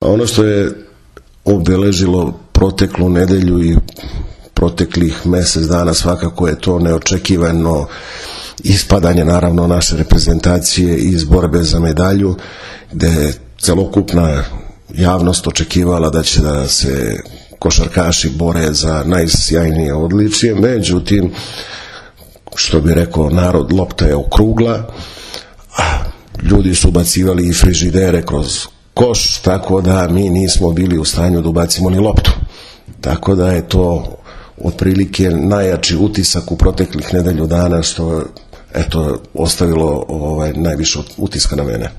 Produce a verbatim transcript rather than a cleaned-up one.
Ono što je obeležilo proteklu nedelju i proteklih mjesec dana svakako je to neočekivano ispadanje naravno naše reprezentacije iz borbe za medalju, gde je celokupna javnost očekivala da će da se košarkaši bore za najsjajnije odličje, međutim, što bi rekao narod, lopta je okrugla, a ljudi su ubacivali i frižidere kroz koš, tako da mi nismo bili u stanju da ubacimo ni loptu. Tako da je to otprilike najjači utisak u proteklih nedelju dana, što eto ostavilo ovaj najviše utiska na mene.